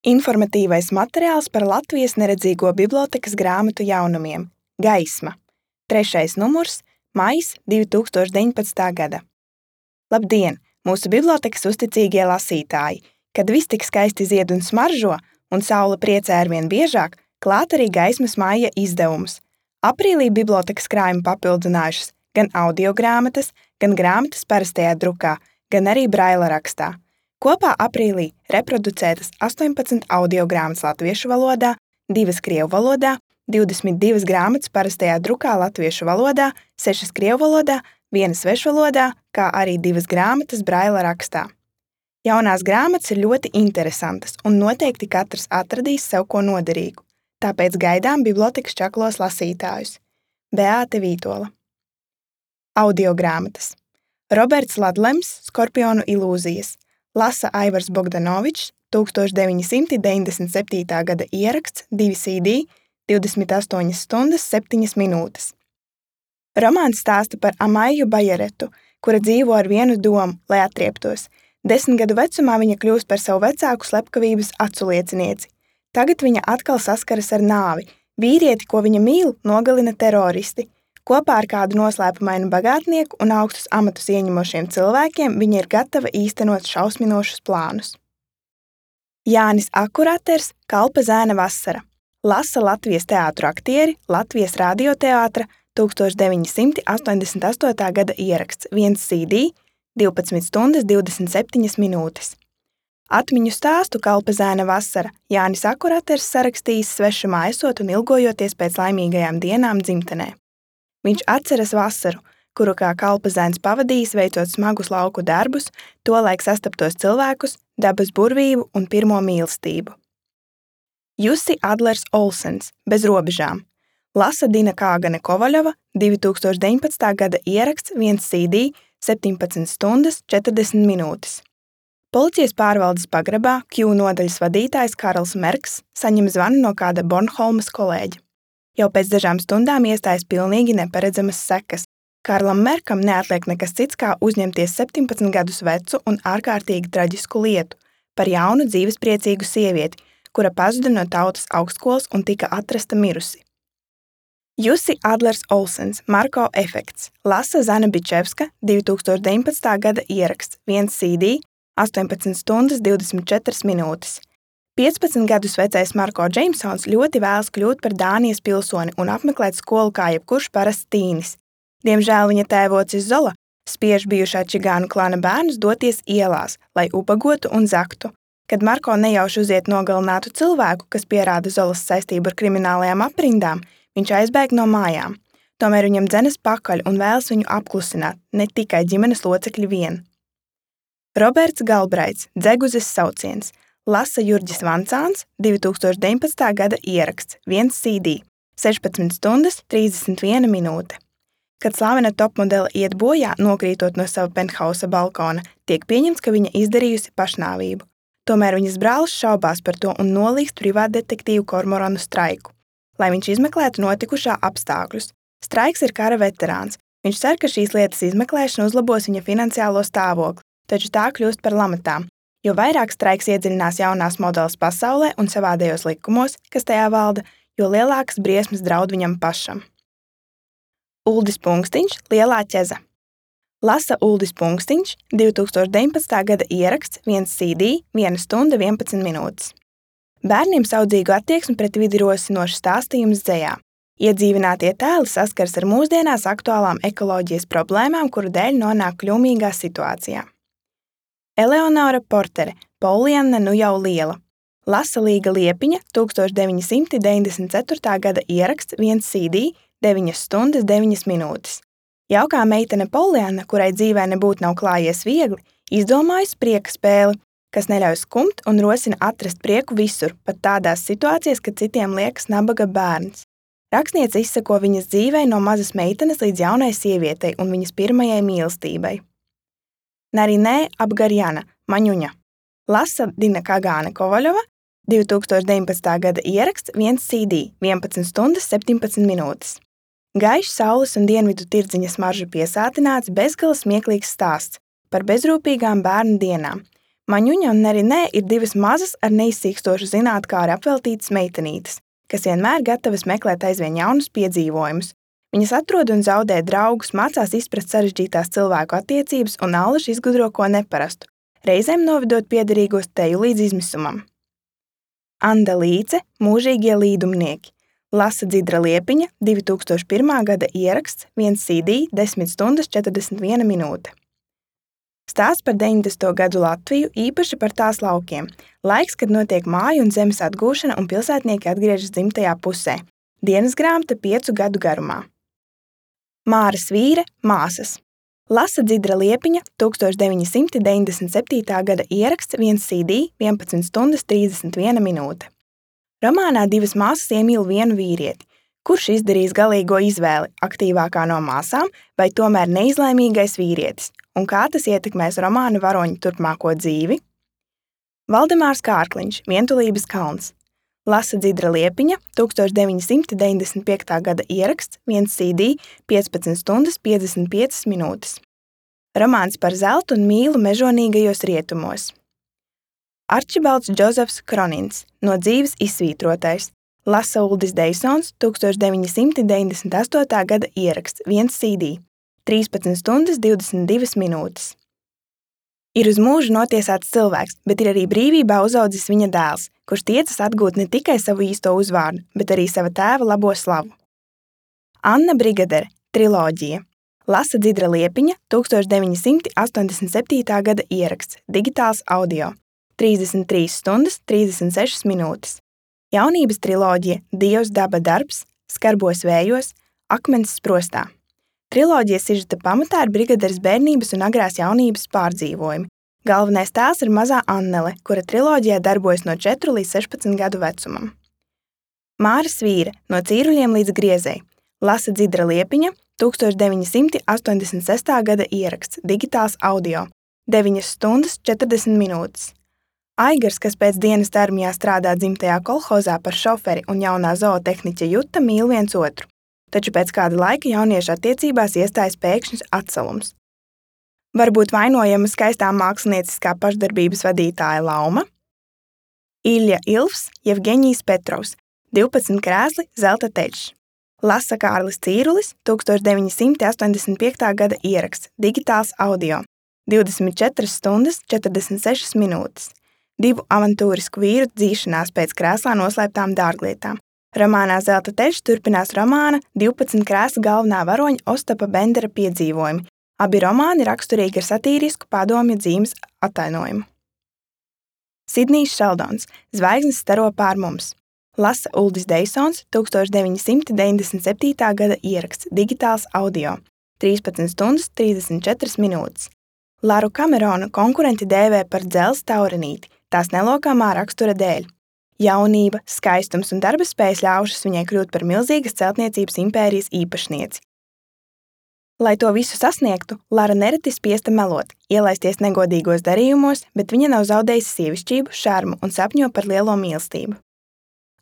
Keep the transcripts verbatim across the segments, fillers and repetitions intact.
Informatīvais materiāls par Latvijas neredzīgo bibliotēkas grāmatu jaunumiem Gaisma. Trešais numurs, maijs divi tūkstoši deviņpadsmitā gada. Labdien, mūsu bibliotēkas uzticīgie lasītāji! Kad viss tik skaisti zied un smaržo, un saule priecē arvien biežāk, klāt arī Gaismas maija izdevums. Aprīlī bibliotēkas krājumi papildinājušas gan audiogrāmatas, gan grāmatas parastajā drukā, gan arī braila rakstā. Kopā aprīlī reproducētas astoņpadsmit audiogrāmatas latviešu valodā, divas krievu valodā, divdesmit divas grāmatas parastajā drukā latviešu valodā, sešas krievu valodā, viena svešvalodā, kā arī divas grāmatas braila rakstā. Jaunās grāmatas ir ļoti interesantas un noteikti katrs atradīs sev ko noderīgu, tāpēc gaidām bibliotēkas čaklos lasītājus. Beāte Vītola. Audiogrāmatas. Roberts Ladlems, Skorpionu ilūzijas. Lasa Aivars Bogdanovičs, tūkstoš deviņi simti deviņdesmit septītā gada ieraksts, divi C D, divdesmit astoņas stundas, septiņas minūtes. Romāns stāsta par Amaiju Bajeretu, kura dzīvo ar vienu domu, lai atrieptos. Desmit gadu vecumā viņa kļūst par savu vecāku slepkavības aculiecinieci. Tagad viņa atkal saskaras ar nāvi. Vīrieti, ko viņa mīl, nogalina teroristi. Kopā ar kādu noslēpumainu bagātnieku un augstus amatus ieņemošiem cilvēkiem viņa ir gatava īstenot šausminošus plānus. Jānis Akuraters, Kalpa zēna vasara. Lasa Latvijas teātru aktieri, Latvijas radioteātra, tūkstoš deviņi simti astoņdesmit astotā gada ieraksts, viens C D, divpadsmit stundas, divdesmit septiņas minūtes. Atmiņu stāstu Kalpa zēna vasara Jānis Akuraters sarakstījis svešumā esot un ilgojoties pēc laimīgajām dienām dzimtenē. Viņš atceras vasaru, kuru kā kalpa zēns pavadījis veicot smagus lauku darbus, tolaik sastaptos cilvēkus, dabas burvību un pirmo mīlestību. Jussi Adlers Olsens, Bez robežām. Lasa Dina Kāgane Kovaļova, divi tūkstoši deviņpadsmitā gada ieraksts, viens C D, septiņpadsmit stundas, četrdesmit minūtes. Policijas pārvaldes pagrabā Q nodaļas vadītājs Karls Merks saņem zvanu no kāda Bornholmas kolēģa. Jau pēc dažām stundām iestājas pilnīgi neparedzamas sekas. Karlam Merkam neatliek nekas cits, kā uzņemties septiņpadsmit gadus vecu un ārkārtīgi traģisku lietu par jaunu dzīvespriecīgu sievieti, kura pazuda no tautas augstskolas un tika atrasta mirusi. Jussi Adlers Olsens, Marko efekts. Lasa Zana Bičevska, divi tūkstoši deviņpadsmitā gada ieraksts, viens C D, astoņpadsmit stundas, divdesmit četras minūtes. piecpadsmit gadus vecais Marko Džeimsons ļoti vēlas kļūt par Dānijas pilsoni un apmeklēt skolu kā jebkurš parasts tīnis. Diemžēl viņa tēvocis Zola spiež bijušā čigānu klana bērnus doties ielās, lai ubagotu un zaktu. Kad Marko nejauši uziet nogalinātu cilvēku, kas pierāda Zolas saistību ar kriminālajām aprindām, viņš aizbēg no mājām. Tomēr viņam dzenas pakaļ un vēlas viņu apklusināt, ne tikai ģimenes locekļi vien. Roberts Galbraits, Dzeguzes sauciens. Lasa Jurģis Vancāns, divi tūkstoši deviņpadsmitā gada ieraksts, viens C D, sešpadsmit stundas, trīsdesmit viena minūte. Kad slavena topmodele iet bojā, nokrītot no sava penthausa balkona, tiek pieņemts, ka viņa izdarījusi pašnāvību. Tomēr viņas brālis šaubās par to un nolīgst privātdetektīvu Kormoranu Straiku, lai viņš izmeklētu notikušā apstākļus. Straiks ir kara veterāns. Viņš cer, ka šīs lietas izmeklēšana uzlabos viņa finansiālo stāvokli, taču tā kļūst par lamatām. Jo vairāk Straiks iedziļinās jaunās modeles pasaulē un savādējos likumos, kas tajā valda, jo lielākas briesmas draud viņam pašam. Uldis Punkstiņš, Lielā ķeza. Lasa Uldis Punkstiņš, divi tūkstoši deviņpadsmitā gada ieraksts, viens C D, viena stunda, vienpadsmit minūtes. Bērniem saudzīgu attieksmi pret vidi rosinošs stāstījums dzejā. Iedzīvinātie tēli saskars ar mūsdienās aktuālām ekoloģijas problēmām, kuru dēļ nonāk kļūmīgā situācijā. Eleonora Portere, Polianna nu jau liela. Lasa Līga Liepiņa, tūkstoš deviņi simti deviņdesmit ceturtā gada ieraksts, viens C D, deviņas stundas, deviņas minūtes. Jaukā meitene Polianna, kurai dzīvē nebūtu nav klājies viegli, izdomājusi prieka spēli, kas neļauj skumt un rosina atrast prieku visur, pat tādās situācijās, kad citiem liekas nabaga bērns. Rakstniece izseko viņas dzīvei no mazas meitenes līdz jaunai sievietei un viņas pirmajai mīlestībai. Narinē Abgarjana, Maņuņa. Lasa Dina Kāgane Kovaļova, divi tūkstoši deviņpadsmitā gada ieraksts, viens C D, vienpadsmit stundas, septiņpadsmit minūtes. Gaišs saules un dienvidu tirdziņa smaržu piesātināts bezgala smieklīgs stāsts par bezrūpīgām bērnu dienām. Maņuņa un Nerinē ir divas mazas ar neizsīkstošu zinātkāri apveltītas meitenītes, kas vienmēr gatavas meklēt aizvien jaunus piedzīvojumus. Viņas atrod un zaudē draugus, mācās izprast sarežģītās cilvēku attiecības un allaž izgudro ko neparastu, reizēm novedot piederīgos teju līdz izmisumam. Anda Līce, Mūžīgie līdumnieki. Lasa Dzidra Liepiņa, divi tūkstoši pirmā gada ieraksts, viens C D, desmit stundas četrdesmit viena minūte. Stāsts par deviņdesmito gadu Latviju, īpaši par tās laukiem. Laiks, kad notiek māju un zemes atgūšana un pilsētnieki atgriežas dzimtajā pusē. Dienas grāmata piecu gadu garumā. Māra Svīre, Māsas. Lasa Dzidra Liepiņa, tūkstoš deviņi simti deviņdesmit septītā gada ieraksts, viens C D, vienpadsmit stundas trīsdesmit viena minūte. Romānā divas māsas iemīl vienu vīrieti. Kurš izdarīs galīgo izvēli, aktīvākā no māsām vai tomēr neizlēmīgais vīrietis? Un kā tas ietekmēs romāna varoņu turpmāko dzīvi? Valdemārs Kārkliņš, Vientulības kalns. Lasa Dzidra Liepiņa, tūkstoš deviņi simti deviņdesmit piektā gada ieraksts, viens C D, piecpadsmit stundas piecdesmit piecas minūtes. Romāns par zeltu un mīlu mežonīgajos rietumos. Arčibalds Džozefs Kronins, No dzīves izsvītrotais. Lasa Uldis Deisons, tūkstoš deviņi simti deviņdesmit astotā gada ieraksts, viens C D, trīspadsmit stundas divdesmit divas minūtes. Ir uz mūžu notiesāts cilvēks, bet ir arī brīvībā uzaudzis viņa dēls, kurš tiecas atgūt ne tikai savu īsto uzvārdu, bet arī sava tēva labo slavu. Anna Brigadere, Triloģija. Lasa Dzidra Liepiņa, tūkstoš deviņi simti astoņdesmit septītā gada ieraksts, digitāls audio, trīsdesmit trīs stundas trīsdesmit sešas minūtes. Jaunības triloģija Dievs daba darbs, Skarbos vējos, Akmens sprostā. Triloģijas sižeta pamatā ir brigaderes bērnības un agrās jaunības pārdzīvojumi. Galvenais tēls ir mazā Annele, kura triloģijā darbojas no četru līdz sešpadsmit gadu vecumam. Māra Svīre, No cīruļiem līdz griezei. Lasa Dzidra Liepiņa, tūkstoš deviņi simti astoņdesmit sestā gada ieraksts, digitāls audio, deviņas stundas četrdesmit minūtes. Aigars, kas pēc dienas armijā strādā dzimtajā kolhozā par šoferi un jaunā zootehniķa Juta mīl viens otru, taču pēc kāda laika jauniešu attiecībās iestājas pēkšņs atsalums. Varbūt vainojama skaistā mākslinieckā pašdarbības vadītāja Lauma? Ilja Ilfs, Jevgeņijs Petrovs, divpadsmit krēsli, zelta teļš. Lasa Kārlis Cīrulis, tūkstoš deviņi simti astoņdesmit piektā gada ieraksts, digitāls audio, divdesmit četras stundas četrdesmit sešas minūtes. Divu avantūrisku vīru dzīšanās pēc krēslā noslēptām dārglietām. Romānā Zelta teļš turpinās romāna divpadsmit krēsla galvenā varoņa Ostapa Bendera piedzīvojumi. Abi romāni raksturīgi ar satīrisku padomju dzīmes atainojumu. Sidnijs Šeldons, Zvaigznes staro pār mums. Lasa Uldis Deisons, tūkstoš deviņi simti deviņdesmit septītā gada ieraksts, digitāls audio, trīspadsmit stundas trīsdesmit četras minūtes. Laru Kameronu konkurenti dēvē par dzelzs taurenīti, tās nelokāmā rakstura dēļ. Jaunība, skaistums un darba spējas ļaušas viņai kļūt par milzīgas celtniecības impērijas īpašnieci. Lai to visu sasniegtu, Lara nereti spiesta melot, ielaisties negodīgos darījumos, bet viņa nav zaudējusi sievišķību, šarmu un sapņo par lielo mīlestību.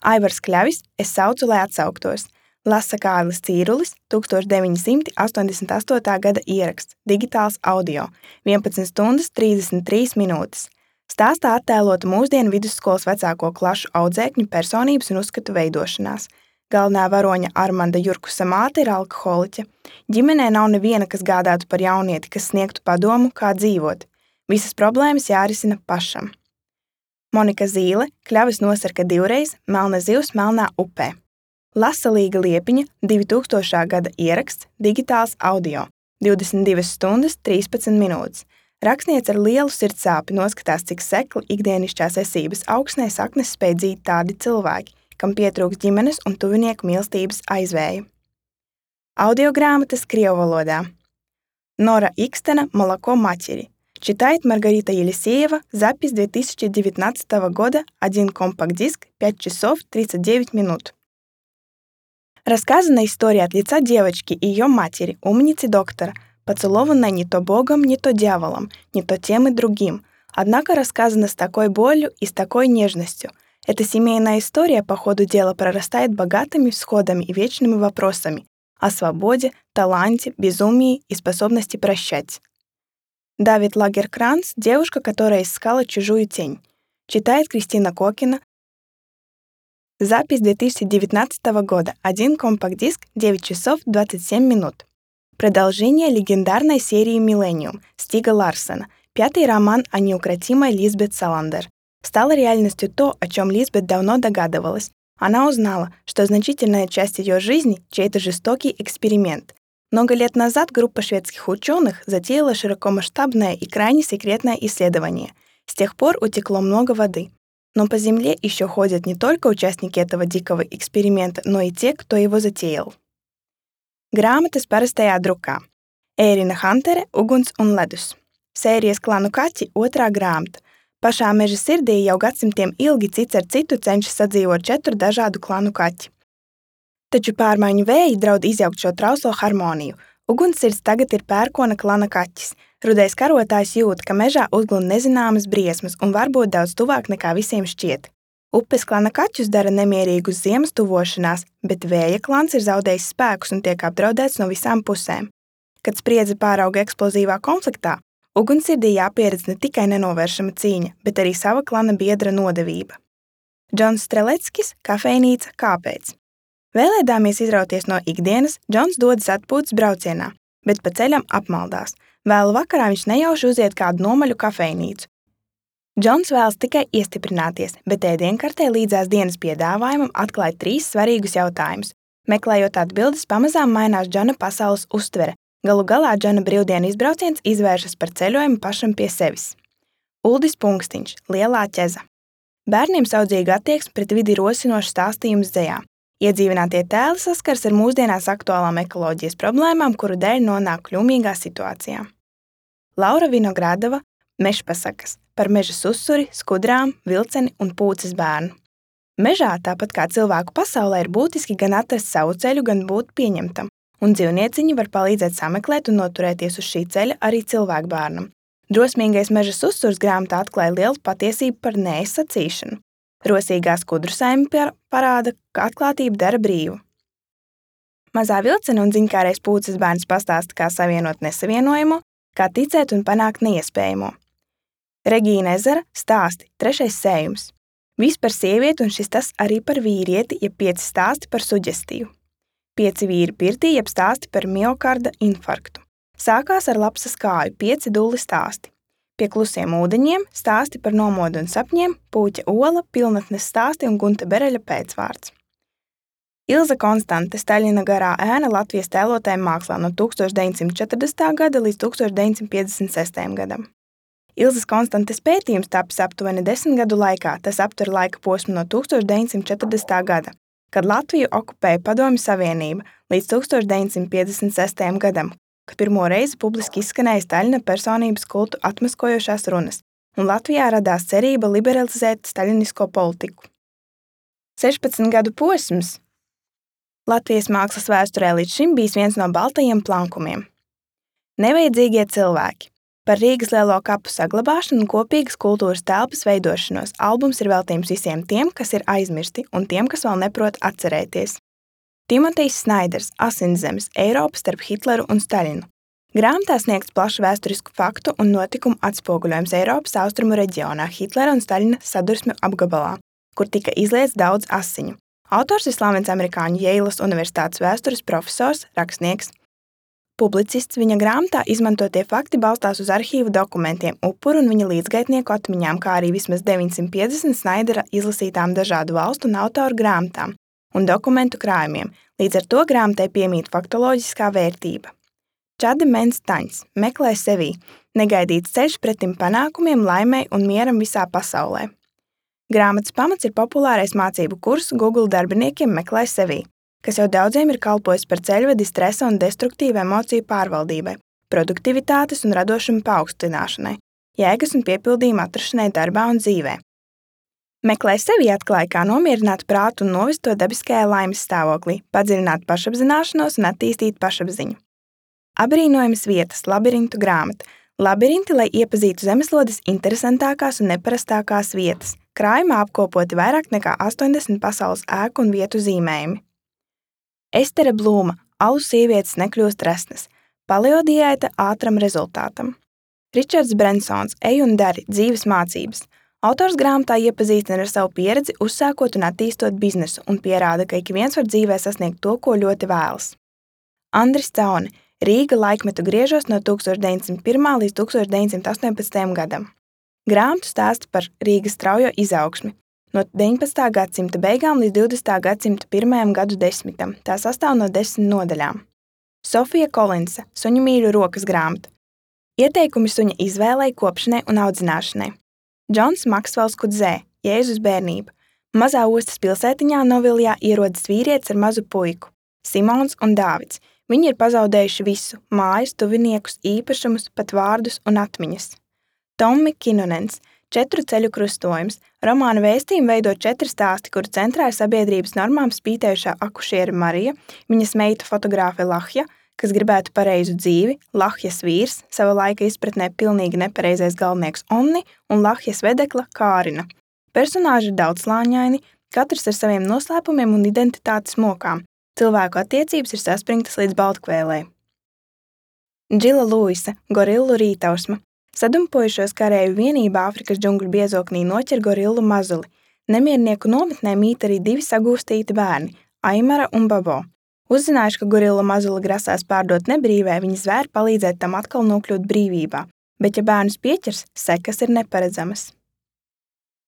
Aivars Kļavis, Es saucu, lai atsauktos. Lasa Kārlis Cīrulis, tūkstoš deviņi simti astoņdesmit astotā gada ieraksts, digitāls audio, vienpadsmit stundas trīsdesmit trīs minūtes. Stāstā attēlota mūsdienu vidusskolas vecāko klašu audzēkņu personības un uzskatu veidošanās. Galvenā varoņa Armanda Jurkusa māte ir alkoholiķe. Ģimenē nav neviena, kas gādātu par jaunieti, kas sniegtu padomu, kā dzīvot. Visas problēmas jārisina pašam. Monika Zīle, Kļavas nosarka divreiz, Melna zivs melnā upē. Lasa Līga Liepiņa, divi tūkstošā gada ieraksts, digitāls audio, divdesmit divas stundas trīspadsmit minūtes. Rakstniece ar lielu sirdsāpi noskatās, cik sekli ikdienišķās esības augsnē saknes spēj dzīt tādi cilvēki, kam pietrūks ģimenes un tuvinieku mīlestības aizvēja. Audiogrāmatas krievu valodā. Nora Ikstena Молоко матери. Читает Маргарита Елисеева, запись две тысячи девятнадцатого года, один компакт-диск, пять часов тридцать девять минут. Рассказана история от лица девочки и ее матери, умницы доктора, поцелованной не то Богом, не то дьяволом, не то тем и другим, однако рассказана с такой болью и с такой нежностью. Эта семейная история по ходу дела прорастает богатыми всходами и вечными вопросами о свободе, таланте, безумии и способности прощать. Давид Лагеркранц «Девушка, которая искала чужую тень». Читает Кристина Кокина. Запись две тысячи девятнадцатого года. Один компакт-диск, девять часов двадцать семь минут. Продолжение легендарной серии «Миллениум» Стига Ларсена. Пятый роман о неукротимой Лизбет Саландер. Стало реальностью то, о чем Лизбет давно догадывалась. Она узнала, что значительная часть ее жизни — чей-то жестокий эксперимент. Много лет назад группа шведских ученых затеяла широкомасштабное и крайне секретное исследование. С тех пор утекло много воды. Но по Земле еще ходят не только участники этого дикого эксперимента, но и те, кто его затеял. Grāmatas parastajā drukā. Ērina Huntere Uguns un ledus. Sērijas Klanu kaķi otrā grāmata. Pašā meža sirdī jau gadsimtiem ilgi cits ar citu cenšas sadzīvot četru dažādu klanu kaķi. Taču pārmaiņu vēji draud izjaukt šo trauslo harmoniju. Ugunssirds tagad ir pērkona klana kaķis. Rudais karotājs jūt, ka mežā uzglūn nezināmas briesmas un varbūt daudz tuvāk nekā visiem šķiet. Upes klana kaķus dara nemierīgus ziemas tuvošanās, bet vēja klans ir zaudējis spēkus un tiek apdraudēts no visām pusēm. Kad spriedze pārauga eksplozīvā konfliktā, Ugunssirdī jāpieredz ne tikai nenovēršama cīņa, bet arī sava klana biedra nodevība. Džons Streleckis, Kafejnīca, kāpēc? Vēlēdāmies izrauties no ikdienas, Džons dodas atpūtas braucienā, bet pa ceļam apmaldās. Vēlu vakarā viņš nejauši uziet kādu nomaļu kafejnīcu. Džons vēlas tikai iestiprināties, bet ēdienkartē līdzās dienas piedāvājumam atklāja trīs svarīgus jautājumus. Meklējot atbildes, pamazām mainās Džona pasaules uztvere. Galu galā Džona brīvdienu izbrauciens izvēršas par ceļojumu pašam pie sevis. Uldis Punkstiņš, Lielā ķeza. Bērniem saudzīga attieksme pret vidi rosinošs stāstījums dzejā. Iedzīvinātie tēli saskars ar mūsdienās aktuālām ekoloģijas problēmām, kuru dēļ nonāk kļūmīgā situācijā. Laura Vinogradova, Mežpasakas, par meža susuri, skudrām, vilceni un pūces bērnu. Mežā, tāpat kā cilvēku pasaulē, ir būtiski gan atrast savu ceļu, gan būt pieņemtam. Un dzīvnieciņi var palīdzēt sameklēt un noturēties uz šī ceļa arī cilvēku bērnam. Drosmīgais meža susurs grāmatā atklāja lielu patiesību par nēs sacīšanu. Rosīgā skudru saime parāda, ka atklātība dara brīvu. Mazā vilcena un ziņkārais pūces bērns pastāsta, kā savienot nesavienojamo, kā ticēt un panākt neiespējamo. Regīna Ezera stāsti, trešais sējums. Viss par sievieti un šis tas arī par vīrieti, ja pieci stāsti par suģestīvu. Pieci vīri pirtī, jeb stāsti par miokarda infarktu. Sākās ar lapsas kāju, pieci dulli stāsti. Pie klusiem ūdeņiem stāsti par nomodu un sapņiem, Pūķa Ola, pilnatnes stāsti un Gunta Bereļa pēcvārds. Ilza Konstante, Staļina garā ēna Latvijas tēlotājiem mākslā no tūkstoš deviņsimt četrdesmitā gada līdz tūkstoš deviņsimt piecdesmit sestajam gadam. Ilzas Konstantes pētījums tapis aptuveni desmit gadu laikā, tas aptver laika posmu no tūkstoš deviņsimt četrdesmitā gada. Kad Latviju okupēja Padomju Savienība līdz tūkstoš deviņsimt piecdesmit sestajam gadam, kad pirmo reizi publiski izskanēja Staļina personības kultu atmaskojošās runas, un Latvijā radās cerība liberalizēt staļinisko politiku. sešpadsmit gadu posms Latvijas mākslas vēsturē līdz šim bijis viens no baltajiem plankumiem. Nevajadzīgie cilvēki. Par Rīgas lielo kapu saglabāšanu un kopīgas kultūras telpas veidošanos albums ir veltījums visiem tiem, kas ir aizmirsti, un tiem, kas vēl neprot atcerēties. Timotejs Snaiders, Asinszemes, Eiropa starp Hitleru un Staļinu. Grāmatā sniegts plašu vēsturisku faktu un notikumu atspoguļojums Eiropas austrumu reģionā Hitlera un Staļina sadursmju apgabalā, kur tika izliets daudz asiņu. Autors ir slavens amerikāņu Jeilas universitātes vēstures profesors, rakstnieks. Publicists viņa grāmatā izmantotie fakti balstās uz arhīvu dokumentiem, upuru un viņa līdzgaitnieku atmiņām, kā arī vismaz deviņsimt piecdesmit Snaidera izlasītām dažādu valstu un autoru grāmatām un dokumentu krājumiem, līdz ar to grāmatai piemīt faktoloģiskā vērtība. Čade Mens Taņs, meklē sevī, negaidīts ceļš pretim panākumiem, laimei un mieram visā pasaulē. Grāmatas pamats ir populārais mācību kurs Google darbiniekiem meklē sevī, kas jau daudziem ir kalpojis par ceļvedi stresa un destruktīvu emociju pārvaldībai, produktivitātes un radošuma paaugstināšanai, jēgas un piepildījuma atrašanai darbā un dzīvē. Meklē sevi atklāja, kā nomierināt prātu un novest to dabiskajā laimes stāvoklī, padziļināt pašapzināšanos un attīstīt pašapziņu. Abrīnojamas vietas, labirintu grāmata. Labirinti, lai iepazītu zemeslodes interesantākās un neparastākās vietas. Krājumā apkopoti vairāk nekā astoņdesmit pasaules ēku un vietu zīmējumi. Estere Blūma, alu sievietes nekļūst resnas. Paleodiēta ātram rezultātam. Ričards Brensons Ej un dari dzīves mācības. Autors grāmatā iepazīstina ar savu pieredzi, uzsākot un attīstot biznesu un pierāda, ka ik viens var dzīvē sasniegt to, ko ļoti vēlas. Andris Caune Rīga laikmetu griežos no tūkstoš deviņsimt pirmā līdz tūkstoš deviņsimt astoņpadsmitajam gadam. Grāmatu stāsta par Rīgas straujo izaugsmi no deviņpadsmitā gadsimta beigām līdz divdesmitā gadsimta pirmajam gadu desmitam. Tā sastāv no desmit nodaļām. Sofija Kolinsa Suņu mīļu rokas grāmata. Ieteikumi suņa izvēlei, kopšanai un audzināšanai. Džons Maksvels Kudzē Jēzus bērnība. Mazā ostas pilsētiņā Noviljā ierodas vīrietis ar mazu puiku, Simons un Dāvids. Viņi ir pazaudējuši visu – mājas, tuviniekus, īpašumus, pat vārdus un atmiņas. Tommi Kinunens Četru ceļu krustojums. Romāna vēstījumu veido četri stāsti, kuru centrā ir sabiedrības normām spītējušā akušiere Marija, viņas meita fotogrāfe Lahja, kas gribētu pareizu dzīvi, Lahjas vīrs, sava laika izpratnē pilnīgi nepareizais galvenieks Onni un Lahjas vedekla Kārina. Personāži ir daudzslāņaini, katrs ar saviem noslēpumiem un identitātes mokām. Cilvēku attiecības ir saspringtas līdz baltkvēlei. Džila Luisa Gorillu rītausma. Sadumpojušos karēju vienībā Āfrikas džungļu biezoknī noķer gorillu mazuli. Nemiernieku nometnē mīt arī divi sagūstīti bērni – Aimara un Babo. Uzzinājuši, ka gorilla mazuli grasās pārdot nebrīvē, viņi zvēri palīdzēt tam atkal nokļūt brīvībā, bet ja bērnus pieķers, sekas ir neparedzamas.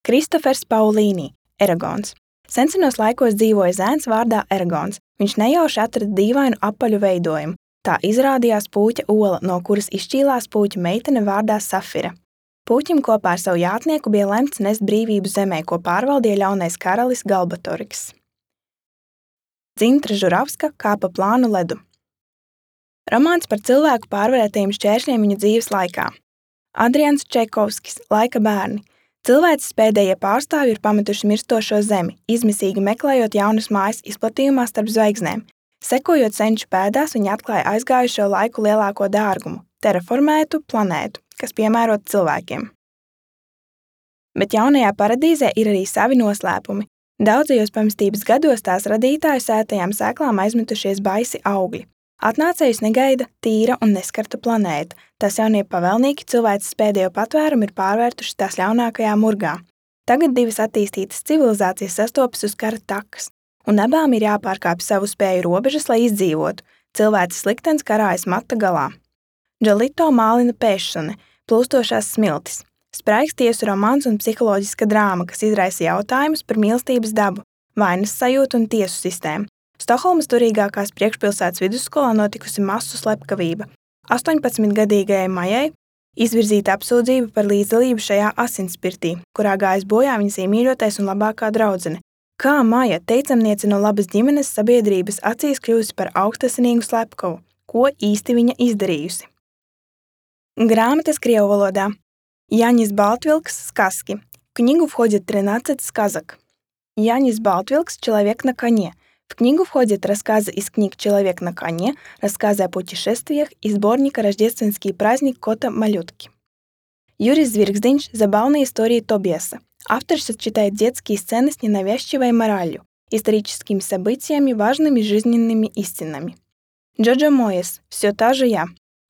Kristofers Paulīnī Eragons. Sensenos laikos dzīvoja zēns vārdā Eragons. Viņš nejauši atrada dīvainu apaļu veidojumu. Tā izrādījās puķa ola, no kuras izšķīlās puķa meitene vārdā Safira. Puķim kopā ar savu jātnieku bija lemts nest brīvību zemē, ko pārvaldīja ļaunais karalis Galbatoriks. Dzintra Žuravska Kāpa plānu ledu. Romāns par cilvēku pārvarētajiem šķēršļiem viņa dzīves laikā. Adrians Čaikovskis Laika bērni. Cilvēces pēdējie pārstāvji ir pametuši mirstošo zemi, izmisīgi meklējot jaunas mājas izplatījumā starp zvaigznēm. Sekojot senču pēdās, viņi atklāja aizgājušo laiku lielāko dārgumu – terraformētu planētu, kas piemērota cilvēkiem. Bet jaunajā paradīzē ir arī savi noslēpumi. Daudzajos pamestības gados tās radītāju sētajām sēklām aizmetušies baisi augļi. Atnācējus negaida tīra un neskarta planēta. Tās jaunie pavēlnieki cilvēces pēdējo patvērumu ir pārvērtuši tās ļaunākajā murgā. Tagad divas attīstītas civilizācijas sastopas uz kara takas, un abām ir jāpārkāpj savu spēju robežas, lai izdzīvotu. Cilvēces liktenis karājas mata galā. Džalito Mālina Pēšsone Plūstošās smiltis. Spraigs tiesu romāns un psiholoģiska drāma, kas izraisa jautājumus par mīlestības dabu, vainas sajūtu un tiesu sistēmu. Stokholmas turīgākās priekšpilsētas vidusskolā notikusi masu slepkavība. astoņpadsmitgadīgajai Majai izvirzīta apsūdzība par līdzdalību šajā asinspirtī, kurā gājis bojā viņas iemīļotais un labākā draudzene. Kā Maja, teicamniece no labas ģimenes sabiedrības, acīs kļūsi par augstasinīgu slepkavu? Ko īsti viņa izdarījusi? Грамота с крievu валода. Янис Балтвилкс «Сказки». В книгу входит тринадцать сказок. Янис Балтвилкс «Человек на коне». В книгу входят рассказы из книг «Человек на коне», рассказы о путешествиях и сборника «Рождественский праздник кота-малютки». Юрис Звирксдинч «Забавные истории Тобиаса». Автор сочетает детские сцены с ненавязчивой моралью, историческими событиями, важными жизненными истинами. Джоджо Моэс «Все та же я».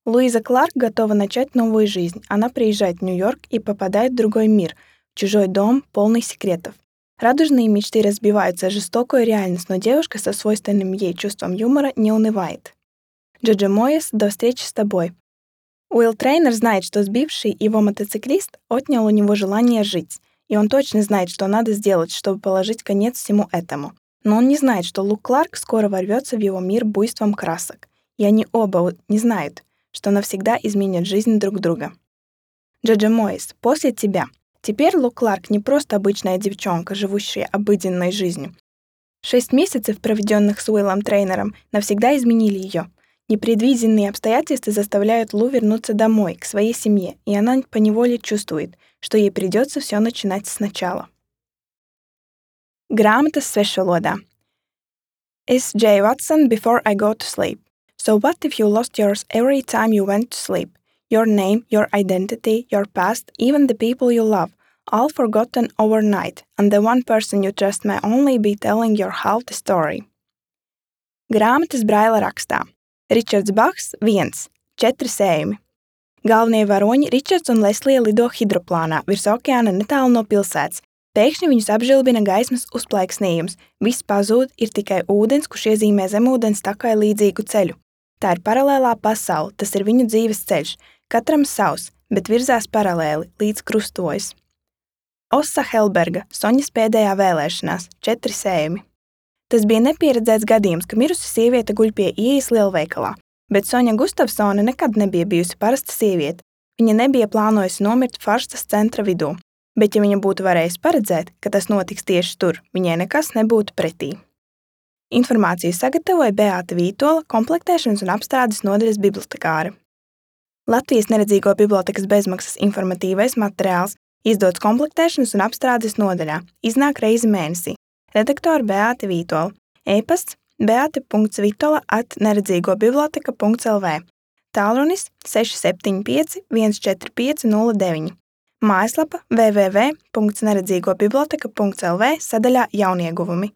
Луиза Кларк готова начать новую жизнь. Она приезжает в Нью-Йорк и попадает в другой мир, в чужой дом, полный секретов. Радужные мечты разбиваются о жестокую реальность, но девушка со свойственным ей чувством юмора не унывает. Джоджо Моэс «До встречи с тобой». Уилл Трейнер знает, что сбивший его мотоциклист отнял у него желание жить, и он точно знает, что надо сделать, чтобы положить конец всему этому. Но он не знает, что Лу Кларк скоро ворвется в его мир буйством красок, и они оба не знают, что навсегда изменят жизнь друг друга. Джоджо Моэс «После тебя». Теперь Лу Кларк не просто обычная девчонка, живущая обыденной жизнью. Шесть месяцев, проведенных с Уиллом Трейнером, навсегда изменили ее. Непредвиденные обстоятельства заставляют Лу вернуться домой, к своей семье, и она поневоле чувствует, что ей придется все начинать сначала. Грамота с svešvalodā. S. J. Watson Before I Go to Sleep. So what if you lost yours every time you went to sleep? Your name, your identity, your past, even the people you love, all forgotten overnight, and the one person you trust may only be telling your half the story. Grāmatas Braila rakstā. Ričards Baks viens. Četri sējumi. Galvenie varoņi Ričards un Leslija lido hidroplānā virs okeāna netālu no pilsētas. Pēkšņi viņus apžilbina gaismas uzplaiksnījums. Viss pazūd, ir tikai ūdens, kurš iezīmē zemūdens takai līdzīgu ceļu. Tā ir paralēlā pasaule, tas ir viņu dzīves ceļš. Katram savs, bet virzās paralēli, līdz krustojas. Ossa Helberga, Soņas pēdējā vēlēšanās, četri sējumi. Tas bija nepieredzēts gadījums, ka mirusi sieviete guļ pie ieejas lielveikalā, bet Soņa Gustavsone nekad nebija bijusi parasta sieviete. Viņa nebija plānojusi nomirt Farstas centra vidū, bet ja viņa būtu varējusi paredzēt, ka tas notiks tieši tur, viņai nekas nebūtu pretī. Informāciju sagatavoja Beāta Vītola, komplektēšanas un apstrādes nodaļas bibliotekāre. Latvijas neredzīgo bibliotekas bezmaksas informatīvais materiāls izdots komplektēšanas un apstrādes nodaļā, iznāk reizi mēnesī. Redaktore Beāta Vītola. E-pasts beate punkts vitola at neredzīgobiblioteka punkts el vē. Tālrunis seši septiņi pieci viens četri pieci nulle deviņi. Mājaslapa w w w punkts neredzīgobiblioteka punkts el vē sadaļā jaunieguvumi.